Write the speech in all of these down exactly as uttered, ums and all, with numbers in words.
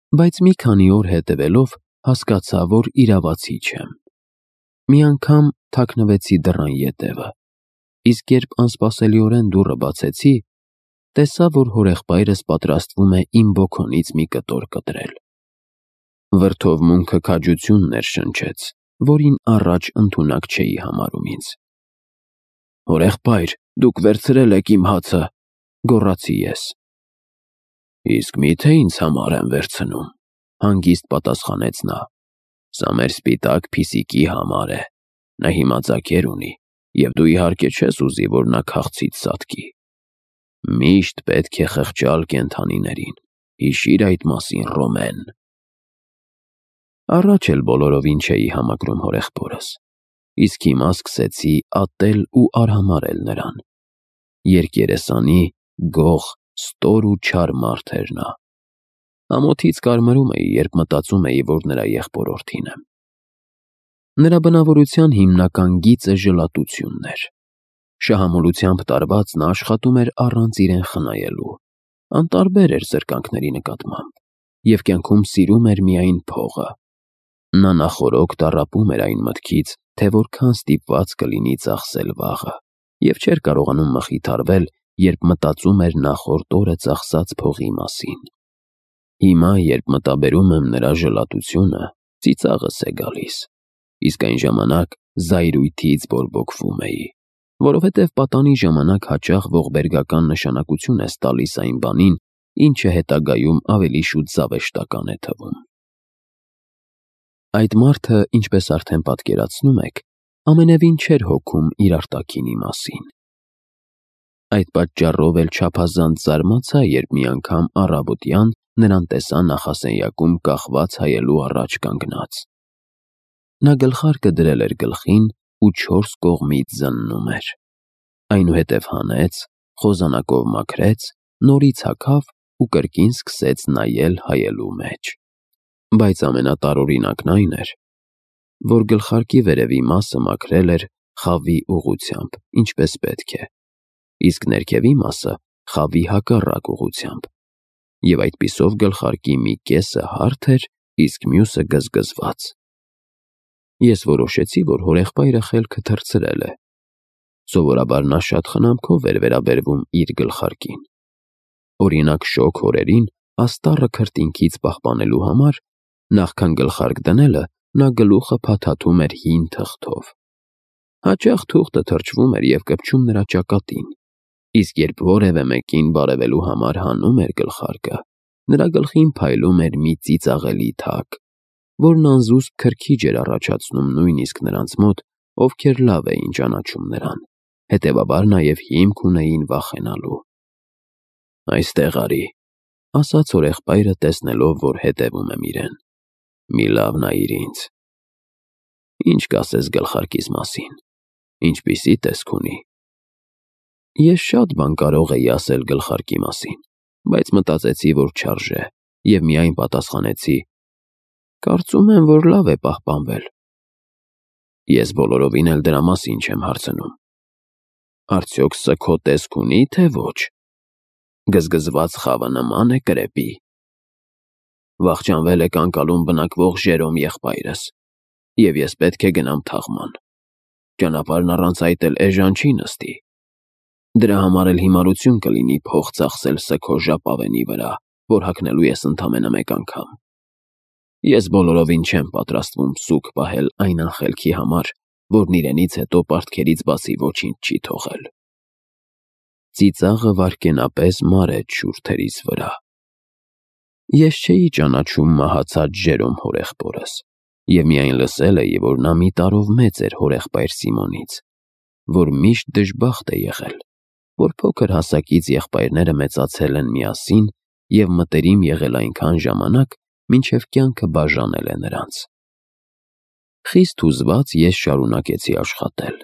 Բայց մի քանի օր հետևելով հասկացա, որ իրավացի չեմ։ Մի անգամ թաքնվեցի դռան ետևը, իսկ երբ անսպասելիորեն դուռը բացեցի, տեսա, որ հորեղբայրս պատրաստվում է իմ բոքոնից մի կտոր կտրել։ Վրդովմունքը քաջություն ներշնչեց, որին առաջ ընդունակ չէի համարում ինձ։ «Հորեղբայր, դուք վերցրել եք իմ հացը», գոռացի ես։ «Իսկ մի՞թե ինձ համար եմ վերցնում», հանգիստ պատասխանեց նա։ «Սա մեր սպիտակ Փիսիկի համար է, նա հիմա ձագեր ունի, և դու իհարկե չես ուզի, որ նա քաղցից սատկի։ Միշտ պետք է խղճալ կենդանիներին, հիշիր այդ մասին, Ռոմեն»։ Առաջ էլ բոլորովին չէի համակրում հորեղբորս, իսկ հիմա սկսեցի ատել ու արհամարհել նրան։ Երկերեսանի, գող, ստոր ու չար մարդ էր նա։ Ամոթից կարմրում էի, երբ մտածում էի, որ նրա եղբորորդին եմ։ Նրա բնավորության հիմնական գիծը ժլատությունն էր։ Շահամոլությամբ տարված նա աշխատում էր առանց իրեն խնայելու, անտարբեր էր զրկանքների նկատմամբ և կյանքում սիրում էր միայն փողը։ Նա նախօրոք տառապում էր այն մտքից, թե որքան ստիպված կլինի ծախսել վաղը, և չէր կարողանում մխիթարվել, երբ մտածում էր նախորդ օրը ծախսած փողի մասին։ Հիմա, երբ մտաբերում եմ նրա ժլատությունը, ծիծաղս է գալիս, իսկ այն ժամանակ զայրույթից բորբոքվում էի, որովհետև պատանի ժամանակ հաճախ ողբերգական նշանակություն ես տալիս այն բանին, ինչը հետագայում ավելի շուտ զավեշտական է թվում։ Այդ մարդը, ինչպես արդեն պատկերացնում եք, ամենևին չէր հոգում իր արտաքինի մասին։ Այդ պատճառով էլ չափազանց զարմացա, երբ մի անգամ առավոտյան նրան տեսա նախասենյակում կախված հայելու առաջ կանգնած։ Նա գլխարկը դրել էր գլխին ու չորս կողմից զննում էր։ Այնուհետև հանեց, խոզանակով մաքրեց, նորից հագավ ու կրկին սկսեց նայել հայելու մեջ։ Բայց ամենատարօրինակն այն էր, որ գլխարկի վերևի մասը մաքրել էր խավի ուղղությամբ, ինչպես պետք է, իսկ ներքևի մասը խավի հակառակ ուղղությամբ, և այդպիսով գլխարկի մի կեսը հարթ էր, իսկ մյուսը գզգզված։ Ես որոշեցի, որ հորեղբայրը խելքը թռցրել է։ Սովորաբար նա շատ խնամքով էր վերաբերվում իր գլխարկին։ Օրինակ, շոգ օրերին աստառը քրտինքից պահպանելու համար, նախքան գլխարկ դնելը, նա գլուխը փաթաթում էր հին թղթով։ Հաճախ թուղթը թրջվում էր և կպչում նրա ճակատին, իսկ երբ որևէ մեկին բարևելու համար հանում էր գլխարկը, նրա գլխին փայլում էր մի ծիծաղելի թակ, որն անզուսպ քրքիջ էր առաջացնում նույնիսկ նրանց մոտ, ովքեր լավ էին ճանաչում նրան, հետևաբար նաև հիմք ունեին վախենալու։ «Այստեղ արի», ասաց հորեղբայրը, տեսնելով, որ հետևում եմ իրեն։ «Մի լավ նայիր ինձ։ Ինչ կասես գլխարկիս մասին, ինչպիսի տեսք ունի»։ Ես շատ բան կարող էի ասել գլխարկի մասին, բայց մտածեցի, որ չարժե, և միայն պատասխանեցի. «Կարծում եմ, որ լավ է պահպանվել»։ Ես բոլորովին էլ դրա մասին չեմ հարցնում։ Արդյոք սա քո տեսք ունի, թե ոչ։ Գզգզված խավը նման է կրեպի։ Վախճանվել եք անկալում բնակվող Ժերոմ եղբայրս, և ես պետք է գնամ թաղման։ Ճանապարհն առանց այդ էլ էժան չի նստի։ Դրա համար էլ հիմարություն կլինի փող ծախսել Սքո ժապավենի վրա, որ հագնելու ես ընդամենը մեկ անգամ։ Ես բոլորովին չեմ պատրաստվում սուգ պահել այն անխելքի համար, որն իրենից հետո պարտքերից բացի ոչինչ չի թողել։ Ծիծաղը վայրկենապես մարեց շուրթերիս վրա։ Ես չէի ճանաչում մահացած Ժերոմ հորեղբորս, և միայն լսել էի, որ նա մի տարով մեծ էր հորեղբայր Սիմոնից, որ միշտ դժբախտ է եղել, որ փոքր հասակից եղբայրները մեծացել են միասին և մտերիմ եղել այնքան ժամանակ, մինչև կյանքը բաժանել է նրանց։ Խիստ հուզված ես շարունակեցի աշխատել։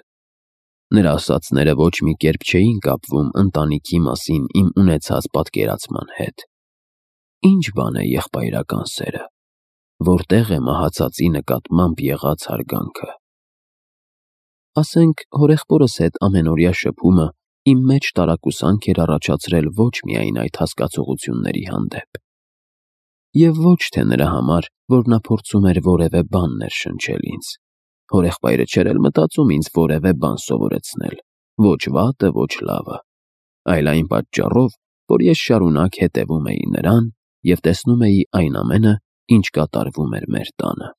Նրա ասածները ոչ մի կերպ չէին կապվում ընտանիքի մասին իմ ունեցած պատկերացման հետ։ Ինչ բան է եղբայրական սերը, որտեղ է մահացածի նկատմամբ եղած հարգանքը։ Ասենք, հորեղբորս հետ ամենօրյա շփումը իմ մեջ տարակուսանք էր առաջացրել ոչ միայն այդ հասկացողությունների հանդեպ։ Եվ ոչ թե նրա համար, որ նա փորձում էր որևէ բան ներշնչել ինձ։ Հորեղբայրը չէր էլ մտածում ինձ որևէ բան սովորեցնել, ոչ վատը, ոչ լավը, այլ այն պատճառով, որ ես շարունակ հետևում էի նրան և տեսնում էի այն ամենը, ինչ կատարվում էր մեր տանը։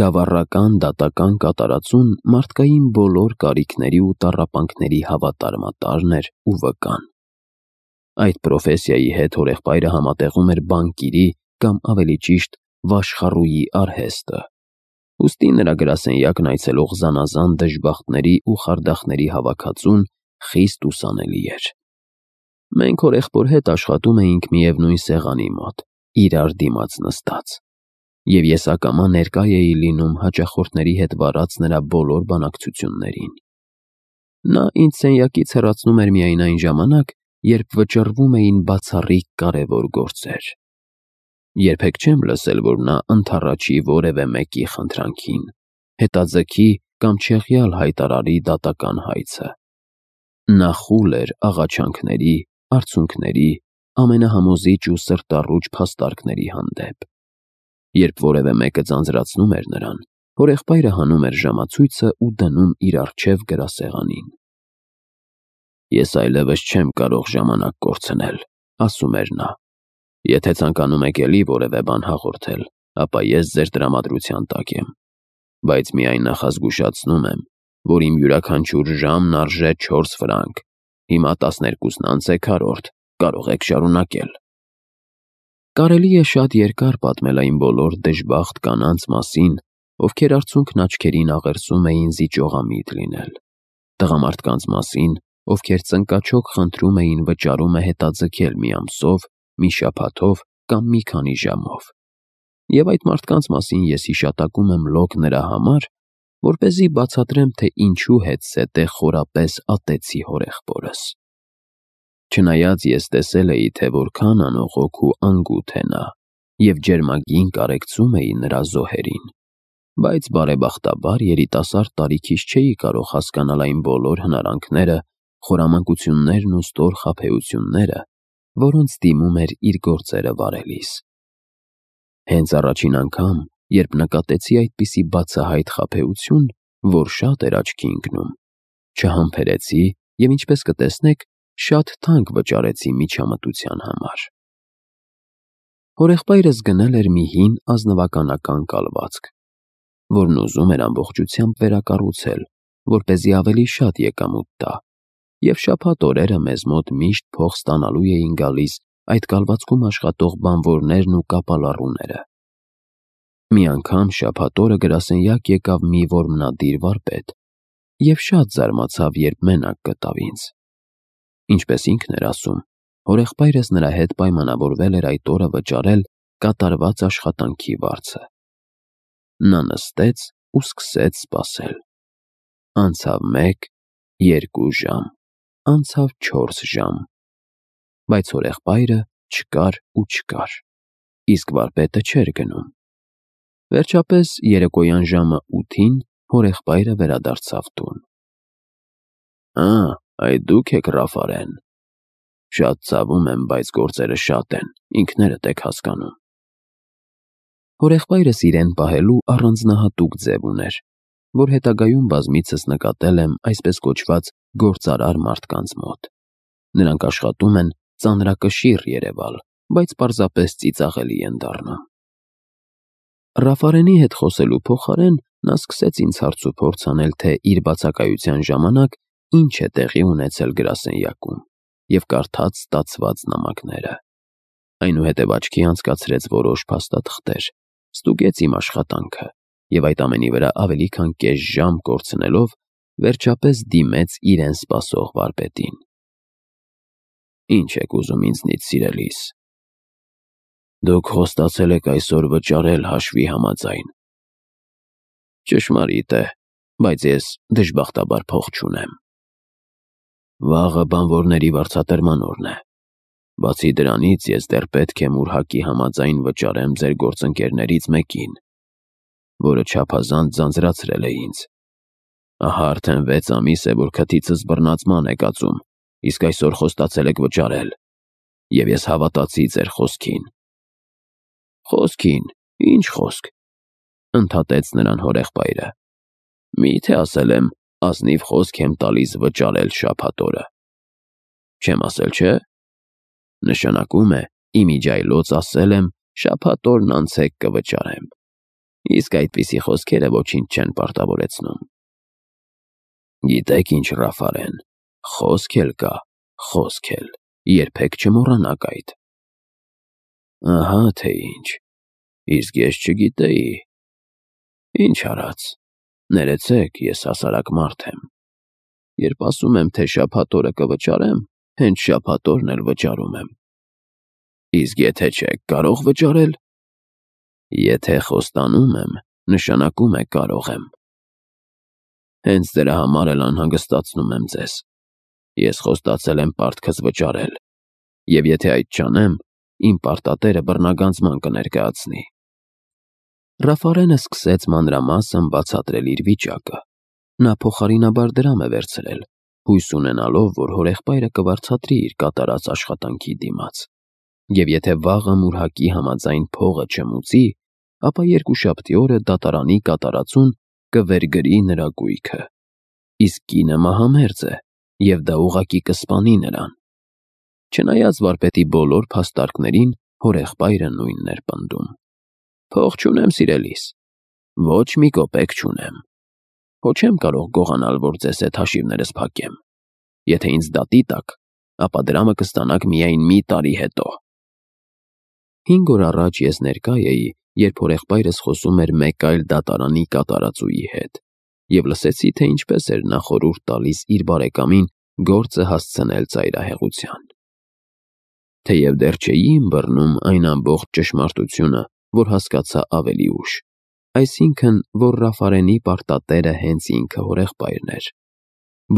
Գավառական դատական կատարածուն մարդկային բոլոր կարիքների ու տառապանքների հավատարմատարն էր ու վկան։ Այդ պրոֆեսիայի հետ հորեղբայրը համատեղում էր բանկիրի կամ ավելի ճիշտ վաշխառուի արհեստը, ուստի նրա գրասենյակն այցելող զանազան դժբախտների ու խարդախների հավաքածուն խիստ ուսանելի էր։ Մենք հորեղբոր հետ աշխատում էինք միևնույն սեղանի մոտ, իրար դիմաց նստած, և ես ակամա ներկա էի լինում հաճախորդների հետ վարած նրա բոլոր բանակցություններին։ Նա ինձ սենյակից հեռացնում էր միայն այն ժամանակ, երբ վճռվում էին բացառիկ կարևոր գործեր։ Երբեք չեմ լսել, որ նա ընդառաջի որևէ մեկի խնդրանքին, հետաձգի կամ չեղյալ հայտարարի դատական հայցը։ Նա խուլ էր աղաչանքների, արցունքների, ամենահամոզիչ ու սրտառուչ փաստարկների հանդեպ։ Երբ որևէ մեկը ձանձրացնում էր նրան, հորեղբայրը հանում էր ժամացույցը ու դնում իր առջև գրասեղանին։ «Ես այլևս չեմ կարող ժամանակ կորցնել», ասում էր նա։ «Եթե ցանկանում եք էլի որևէ բան հաղորդել, ապա ես ձեր տրամադրության տակ եմ, բայց միայն նախազգուշացնում եմ, որ իմ յուրաքանչյուր ժամն արժե չորս ֆրանկ, հիմա տասներկուսն անց է քառորդ, կարող եք շարունակել»։ Կարելի է շատ երկար պատմել այն բոլոր դժբախտ կանանց մասին, ովքեր արցունքն աչքերին աղերսում էին զիջողամիտ լինել, տղամարդկանց մասին, ովքեր ծնկաչոք խնդրում էին վճարումը հետաձգել մի ամսով, մի շաբաթով կամ մի քանի ժամով։ Եվ այդ մարդկանց մասին ես հիշատակում եմ լոկ նրա համար, որպեսզի բացատրեմ, թե ինչու հետզհետե խորապես ատեցի հորեղբորս։ Չնայած ես տեսել էի, թե որքան անողոք ու անգութ է նա, և ջերմագին կարեկցում էի նրա զոհերին, բայց բարեբախտաբար երիտասարդ տարիքիս չէի կարող հասկանալ այն բոլոր հնարանքները, խորամանկություններն ու ստոր խաբեությունները, որոնց դիմում էր իր գործերը վարելիս։ Հենց առաջին անգամ, երբ նկատեցի այդպիսի բացահայտ խաբեություն, որ շատ էր աչքի ընկնում, չհամբերեցի և, ինչպես կտեսնեք, շատ թանկ վճարեցի միջամտության համար։ Հորեղբայրս գնել էր մի հին ազնվականական կալվածք, որն ուզում էր ամբողջությամբ վերակառուցել, որպեսզի ավելի շատ եկամուտ տա, և շաբաթ օրերը մեզ մոտ միշտ փող ստանալու էին գալիս այդ կալվածքում աշխատող բանվորներն ու կապալառուները։ Մի անգամ շաբաթ օրը գրասենյակ եկավ մի որմնադիր վարպետ և շատ զարմացավ, երբ մենակ գտավ ինձ։ Ինչպես ինքն էր ասում, հորեղբայրս նրա հետ պայմանավորվել էր այդ օրը վճարել կատարված աշխատանքի վարձը։ Նա նստեց ու սկսեց սպասել։ Անցավ մեկ, երկու ժամ, անցավ չորս ժամ, բայց հորեղբայրը չկար ու չկար, իսկ վարպետը չէր գնում։ Վերջապես երեկոյան ժամը ութին հորեղբայրը վերադարձավ տուն։ «Ա, այդ դուք եք Ռաֆարեն։ Շատ ցավում եմ, բայց գործերը շատ են, ինքներդ եք հասկանում»։ Հորեղբայրս իրեն պահելու առանձնահատուկ ձև ուներ, որ հետագայում բազմիցս նկատել եմ այսպես կոչված գործարար մարդկանց մոտ։ Նրանք աշխատում են ծանրակշիռ երևալ, բայց պարզապես ծիծաղելի են դառնում։ Ռաֆարենի հետ խոսելու փոխարեն նա սկսեց ինձ հարցուփորձ անել, թե իր բացակայության ժամանակ ինչ է տեղի ունեցել գրասենյակում, և կարդաց ստացված նամակները։ Այնուհետև աչքի անցկացրեց որոշ փաստաթղթեր, ստուգեց իմ աշխատանքը և այդ ամենի վրա ավելի քան կես ժամ կորցնելով, վերջապես դիմեց իրեն սպասող վարպետին։ «Ինչ եք ուզում ինձնից, սիրելիս»։ «Դուք խոստացել եք այսօր վճարել հաշվի համաձայն»։ «Ճշմարիտ է, բայց ես դժբախտաբար փող չունեմ»։ «Վաղը բանվորների վարձատրման օրն է։ Բացի դրանից, ես դեռ պետք է մուրհակի համաձայն վճարեմ ձեր գործընկերներից մեկին, որը չափազանց ձանձրացրել է ինձ։ Ահա արդեն վեց ամիս է, որ քթիցս բռնացման է կացում, իսկ այսօր խոստացել եք վճարել, և ես հավատացի ձեր խոսքին։ Խոսքին, ինչ խոսք, ընդհատեց նրան հորեղբայրը։ Մի՞թե ասել եմ, ազնիվ խոսք եմ տալիս վճարել շաբաթ օրը։ Չեմ ասել, չէ՞։ Նշանակում է, իմիջայլոց ասել եմ, շաբաթ օրն անցեք կվճարեմ։ Իսկ այդպիսի խոսքերը ոչինչ չեն պարտավորեցնում։ Գիտեք ինչ, Ռաֆարեն, խոսք էլ կա, խոսք էլ, երբեք չմոռանաք այդ։ Ահա թե ինչ, իսկ ես չգիտեի։ Ինչ արած, ներեցեք, ես հասարակ մարդ եմ։ Երբ ասում եմ, թե շաբաթ օրը կվճարեմ, հենց շաբաթ օրն էլ վճարում եմ։ Իսկ եթե չեք կարող վճարել։ Եթե խոստանում եմ, նշանակում է կարող եմ։ Հենց դրա համար էլ անհանգստացնում եմ ձեզ։ Ես խոստացել եմ պարտքս վճարել, և եթե այդ չանեմ, իմ պարտատերը բռնագանձման կներկայացնի։ Ռաֆարենը սկսեց մանրամասն բացատրել իր վիճակը։ Նա փոխարինաբար դրամ է վերցրել, հույս ունենալով, որ հորեղբայրը կվարձատրի իր կատարած աշխատանքի դիմաց, և եթե վաղը մուրհակի համաձայն փողը չմուծի, ապա երկուշաբթի օրը դատարանի կատարածուն կվերգրի նրա գույքը։ Իսկ կինը մահամերձ է, և դա ուղղակի կսպանի նրան։ Չնայած վարպետի բոլոր փաստարկներին, հորեղբայրը նույնն էր պնդում։ Փող չունեմ, սիրելիս, ոչ մի կոպեկ չունեմ։ Հո չեմ կարող գողանալ, որ ձեզ հետ հաշիվներս փակեմ։ Եթե ինձ դատի տաք, ապա դրամը կստանաք միայն մի տարի հետո։ Հինգ օր առաջ ես ներկա էի, երբ հորեղբայրս խոսում էր մեկ այլ դատարանի կատարածուի հետ, և լսեցի, թե ինչպես էր նա խորհուրդ տալիս իր բարեկամին գործը հասցնել ծայրահեղության։ Թեև դեռ չէի ըմբռնում այն ամբողջ ճշմարտությունը, որ հասկացա ավելի ուշ, այսինքն, որ Ռաֆարենի պարտատերը հենց ինքը հորեղբայրն էր,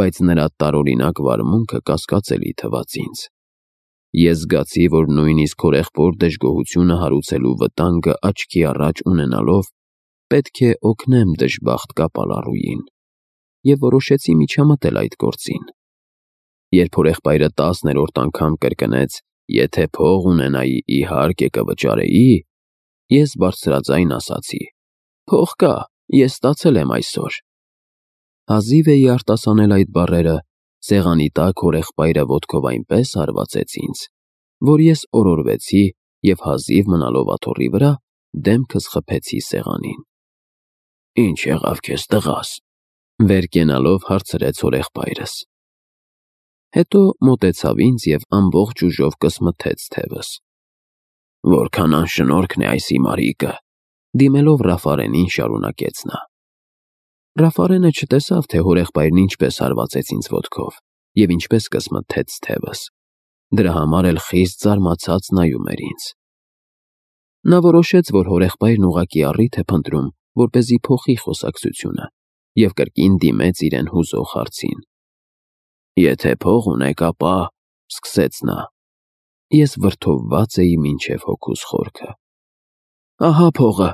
բայց նրա տարօրինակ վարմունքը կասկածելի թվաց ինձ։ Ես զգացի, որ նույնիսկ հորեղբոր դժգոհությունը հարուցելու վտանգը աչքի առաջ ունենալով, պետք է օգնեմ դժբախտ կապալառուին, և որոշեցի միջամտել այդ գործին։ Երբ հորեղբայրը տասներորդ անգամ կրկնեց, եթե փող ունենայի, իհարկե կվճարեի, ես բարձրաձայն ասացի. Փող կա, ես ստացել եմ այսօր։ Հազիվ էի արտասանել այդ բառերը, սեղանի տակ հորեղբայրը ոտքով այնպես հարվածեց ինձ, որ ես օրորվեցի և հազիվ մնալով աթոռի վրա, դեմքս խփեցի սեղանին։ Ինչ եղավ քեզ, տղաս, վեր կենալով հարցրեց հորեղբայրս։ Հետո մոտեցավ ինձ և ամբողջ ուժով կսմթեց թևս։ Որքան անշնորհքն է այս հիմարիկը, դիմելով Ռաֆարենին շարունակեց նա։ Ռաֆարենը չտեսավ, թե հորեղբայրն ինչպես հարվածեց ինձ ոտքով և ինչպես կսմթեց թևս։ Դրա համար էլ խիստ զարմացած նայում էր ինձ։ Նա որոշեց, որ հորեղբայրն ուղղակի առիթ է փնտրում, որպեսզի փոխի խոսակցությունը, և կրկին դիմեց իրեն հուզող հարցին։ Եթե փող ունեք, ապա, սկսեց նա։ Ես վրդովված էի մինչև հոգուս խորքը։ Ահա փողը,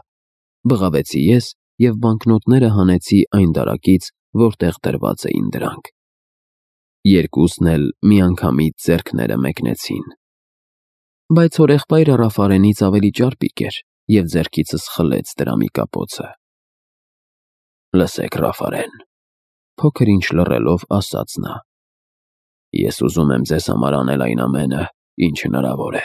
բղավեցի ես և բանկնոտները հանեցի այն դարակից, որտեղ դրված էին դրանք։ Երկուսն էլ միանգամից ձեռքները մեկնեցին։ Բայց հորեղբայրը Ռաֆարենից ավելի ճարպիկ էր և ձեռքիցս խլեց դրամի կապոցը։ Լսեք, Ռաֆարեն, փոքր ինչ լռելով ասաց նա. Ես ուզում եմ ձեզ համար անել այն ամենը, ինչ հնարավոր է,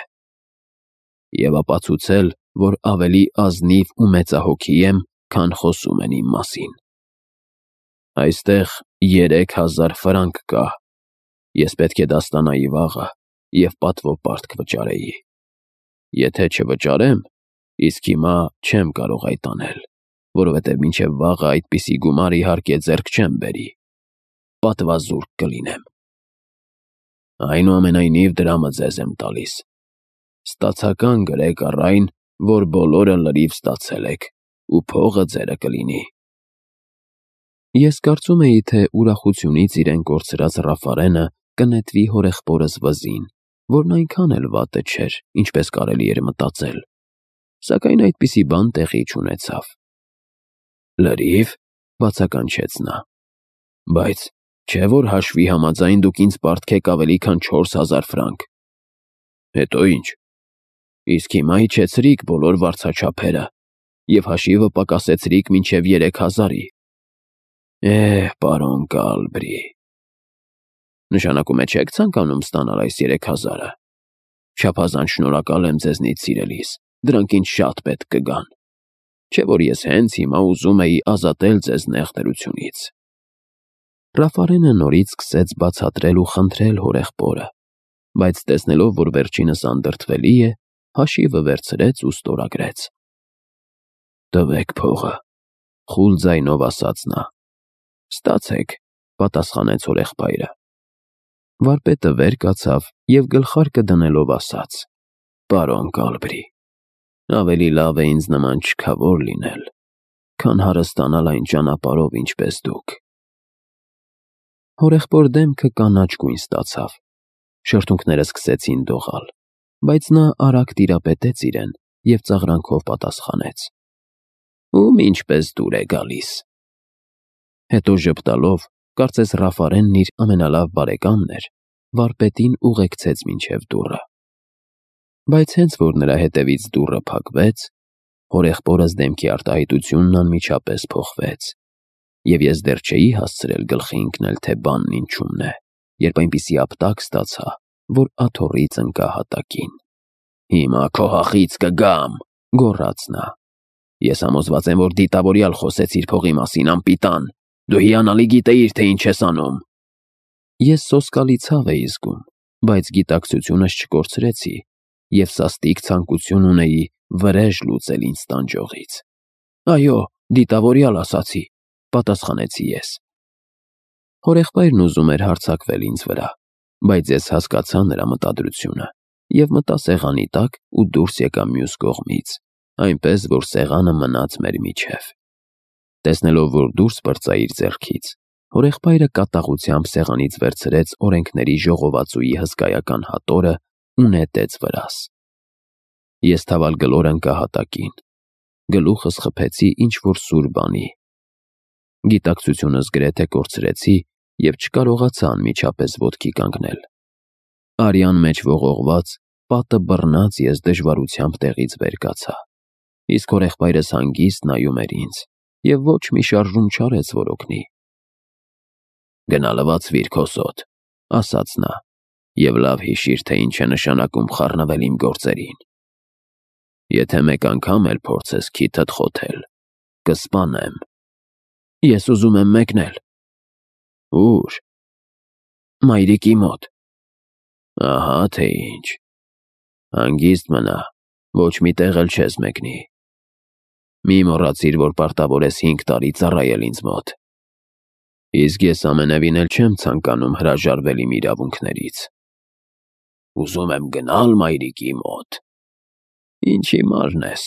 և ապացուցել, որ ավելի ազնիվ ու մեծահոգի եմ, քան խոսում են իմ մասին։ Այստեղ երեք հազար ֆրանկ կա, ես պետք է դա ստանայի վաղը և պատվո պարտք վճարեի։ Եթե չվճարեմ, իսկ հիմա չեմ կարող այդ անել, որովհետև մինչև վաղը այդպիսի գումար իհարկե ձեռք չեմ բերի, պատվազուրկ կլինեմ։ Այնուամենայնիվ դրամը ձեզ եմ տալիս։ Ստացական գրեք առ այն, որ բոլորը լրիվ ստացել եք, ու փողը ձերը կլինի։ Ես կարծում էի, թե ուրախությունից իրեն կորցրած Ռաֆարենը կնետվի հորեղբորս վզին, որն այնքան էլ վատը չէր, ինչպես կարելի էր մտածել, սակայն այդպիսի բան տեղի չունեցավ։ Լրիվ, բացականչեց նա, բայց չէ՞ որ հաշվի համաձայն դուք ինձ պարտք եք ավելի քան չորս հազար ֆրանկ։ Հետո ի՞նչ։ Իսկ հիմա իջեցրիք բոլոր վարձաչափերը և հաշիվը պակասեցրիք մինչև երեք հազարի։ Էհ, պարոն Կալբրի, նշանակում է չեք ցանկանում ստանալ այս երեք հազարը։ Չափազանց շնորհակալ եմ ձեզնից, սիրելիս, դրանք ինձ շատ պետք կգան, չէ որ ես հենց հիմա ուզում էի ազատել ձեզ նեղ դրությունից։ Ռաֆարենը նորից սկսեց բացատրել ու խնդրել հորեղբորը, բայց տեսնելով, որ վերջինս անդրդվելի է, հաշիվը վերցրեց ու ստորագրեց։ Տվեք փողը, խուլ ձայնով ասաց նա։ Ստացեք, պատասխանեց հորեղբայրը։ Վարպետը վեր կացավ և գլխարկը դնելով ասաց. Պարոն Կալբրի, ավելի լավ է ինձ նման չքավոր լինել, քան հարստանալ այն ճանապարհով, ինչպես դուք։ Հորեղբոր դեմքը կանաչ գույն ստացավ, շրթունքները սկսեցին դողալ, բայց նա արագ տիրապետեց իրեն և ծաղրանքով պատասխանեց. Ում ինչպես դուր է գալիս։ Հետո ժպտալով, կարծես Ռաֆարենն իր ամենալավ բարեկամն էր, վարպետին ուղեկցեց մինչև դուռը։ Բայց հենց որ նրա հետևից դուռը փակվեց, հորեղբորս դեմքի արտահայտությունն անմիջապես փոխվեց, և ես դեռ չէի հասցրել գլխի ընկնել, թե բանն ինչումն է, երբ այնպիսի ապտակ ստացա, որ աթոռից ընկա հատակին։ Հիմա քո հախից կգամ, գոռաց նա։ Ես համոզված եմ, որ դիտավորյալ խոսեցիր փողի մասին, անպիտան, դու հիանալի գիտեիր, թե ինչ ես անում։ Ես սոսկալի ցավ էի զգում, բայց գիտակցությունս չկորցրեցի և սաստիկ ցանկություն ունեի վրեժ լուծել ինձ տանջողից։ Այո, դիտավորյալ ասացի, պատասխանեցի ես։ Հորեղբայրն ուզում էր հարձակվել ինձ վրա, բայց ես հասկացա նրա մտադրությունը և մտա սեղանի տակ ու դուրս եկա մյուս կողմից, այնպես, որ սեղանը մնաց մեր միջև։ Տեսնելով, որ դուրս պրծա իր ձեռքից, հորեղբայրը կատաղությամբ սեղանից վերցրեց օրենքների ժողովածուի հսկայական հատորը ու նետեց վրաս։ Ես թավալգլոր ընկա հատակին, գլուխս խփեցի ինչ-որ սուր բանի։ Գիտակցությունս գրեթե կորցրեցի և չկարողացա անմիջապես ոտքի կանգնել։ Արյան մեջ ողողված, պատը բռնած ես դժվարությամբ տեղից վեր կացա, իսկ հորեղբայրս հանգիստ նայում էր ինձ և ոչ մի շարժում չարեց, որ օգնի։ Գնա լվացվիր քո զոտ, ասաց նա, և լավ հիշիր, թե ինչ է նշանակում խառնվել իմ գործերին։ Եթե մեկ անգամ էլ փորձես քիթդ խոթել, կսպանեմ։ Ես ուզում եմ մեկնել։ Ո՞ւր։ Մայրիկի մոտ։ Ահա թե ինչ։ Հանգիստ մնա, ոչ մի տեղ էլ չես մեկնի։ Մի մոռացիր, որ պարտավոր ես հինգ տարի ծառայել ինձ մոտ։ Իսկ ես ամենևին էլ չեմ ցանկանում հրաժարվել իմ իրավունքներից։ Ուզում եմ գնալ մայրիկի մոտ։ Ինչ հիմարն ես,